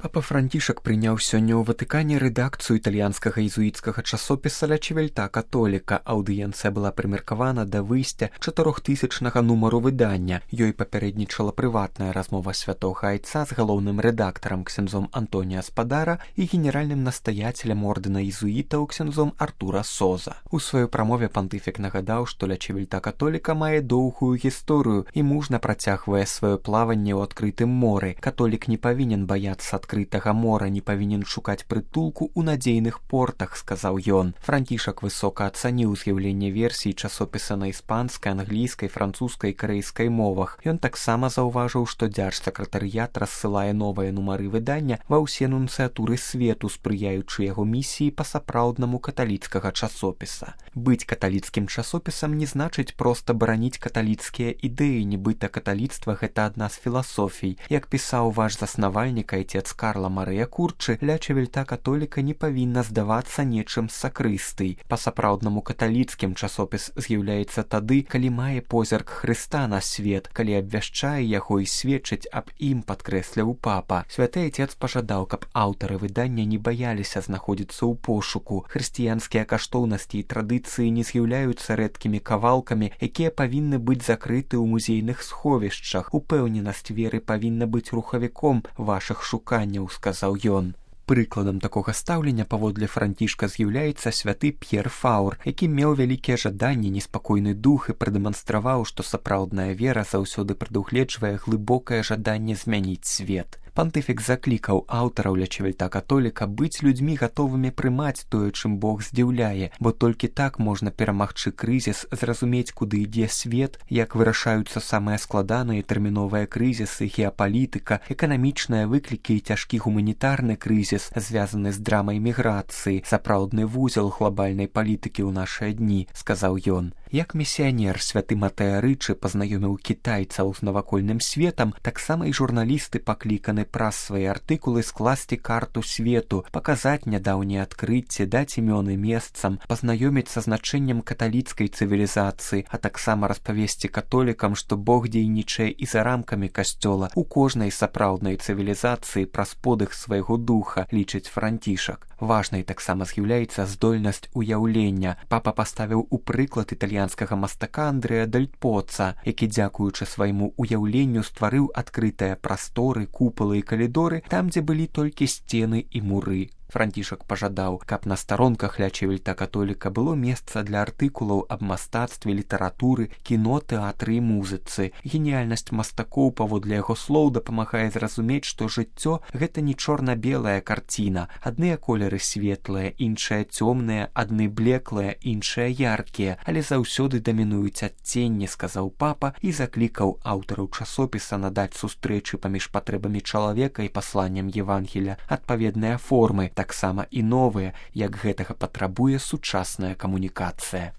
Папа Францішак прыняў сёння ў Ватыкане рэдакцыю італьянскага езуіцкага часопіса «Ля Чівельта католіка». Аўдыенцыя была прымеркавана да выйсця 4000-нага нумару выдання. Ёй папярэднічала прыватная размова святога айца з галоўным рэдактарам ксяндзом Антоніа Спадара і генеральным настаяцелем ордэна езуітаў ксяндзом Артура Соза. У сваёй прамове пантыфік нагадаў, што «Ля Чівельта католіка» мае доўгую гісторыю і мужна працягвае сваё плаванне ў адкрытым моры. Католік не павінен баяцца адкрытага мора, не павінен шукаць прытулку ў надзейных портах, сказаў ён. Францішак высока ацаніў з'яўленне версій часопіса на іспанскай, англійскай, французскай і карэйскай мовах. Ён таксама заўважыў, што дзяржсакратарыят рассылае новыя нумары выдання ва ўсе нунцыятуры свету, спрыяючы яго місіі па-сапраўднаму каталіцкага часопіса. Быць каталіцкім часопісам не значыць проста бараніць каталіцкія ідэі, нібыта каталіцтва гэта адна з філасофій. Як пісаў ваш заснавальнік айцец Карла Марыя Курчы, «Ля Чівельта католіка» не павінна здавацца нечым з сакрыстый. Па-сапраўднаму каталіцкім часопіс з'яўляецца тады, калі мае позірк Хрыста на свет, калі абвяшчае яго і сведчыць аб ім, падкрэсліў папа. Святы айцец пажадаў, каб аўтары выдання не баяліся знаходзіцца ў пошуку. Хрысціянскія каштоўнасці і традыцыі не з'яўляюцца рэдкімі кавалкамі, якія павінны быць закрыты ў музейных сховішчах. Упэўненасць веры павінна быць рухавіком вашых шуканняў, сказаў ён. Прыкладам такога стаўлення паводле Францішка з'яўляецца святы П'ер Фаур, які меў вялікія жаданні, неспакойны дух і прадэманстраваў, што сапраўдная вера заўсёды прадугледжвае глыбокае жаданне змяніць свет. Пантыфік заклікаў аўтараў «Ля Чівельта католіка» быць людзьмі гатовымі прымаць тое, чым Бог здзіўляе, бо толькі так можна перамагчы крызіс, зразумець, куды ідзе свет, як вырашаюцца самыя складаныя тэрміновыя крызісы, геапалітыка, эканамічныя выклікі і цяжкі гуманітарны крызіс, звязаны з драмай міграцыі, сапраўдны вузел глобальнай палітыкі ў нашыя дні, сказаў ён. Як місіянер святы Матеа Рычы пазнаёміў кітайцаў з навакольным светам, таксама і журналісты пакліканы праз свае артыкулы скласці карту свету, паказаць нядаўнія адкрыцці, даць імёны месцам, пазнаёміць са значэннем каталіцкай цывілізацыі, а таксама распавесці католікам, што Бог дзейнічае і за рамкамі касцёла у кожнай сапраўднай цывілізацыі праз подых свайго духа, лічыць Францішак. Важнай таксама з'яўляецца здольнасць уяўлення. Папа паставіў у прыклад італьянскага мастака Андрэа Дель Поца, які, дзякуючы свайму уяўленню, стварыў адкрытыя прасторы, купалы і калідоры там, дзе былі толькі сцены і муры. Францішак пажадаў, каб на старонках «Ля Чівельта католіка» было месца для артыкулаў аб мастацтве, літаратуры, кіно, тэатры і музыцы. Геніяльнасць мастакоў, паводле яго слоў, дапамагае зразумець, што жыццё – гэта не чорна-белая карціна. Адныя колеры светлыя, іншыя цёмныя, адны блеклыя, іншыя яркія, але заўсёды дамінуюць адценні, сказаў папа і заклікаў аўтараў часопіса надаць сустрэчы паміж патрэбамі чалавека і пасланнем Евангелія адпаведныя формы, таксама і новыя, як гэтага патрабуе сучасная камунікацыя.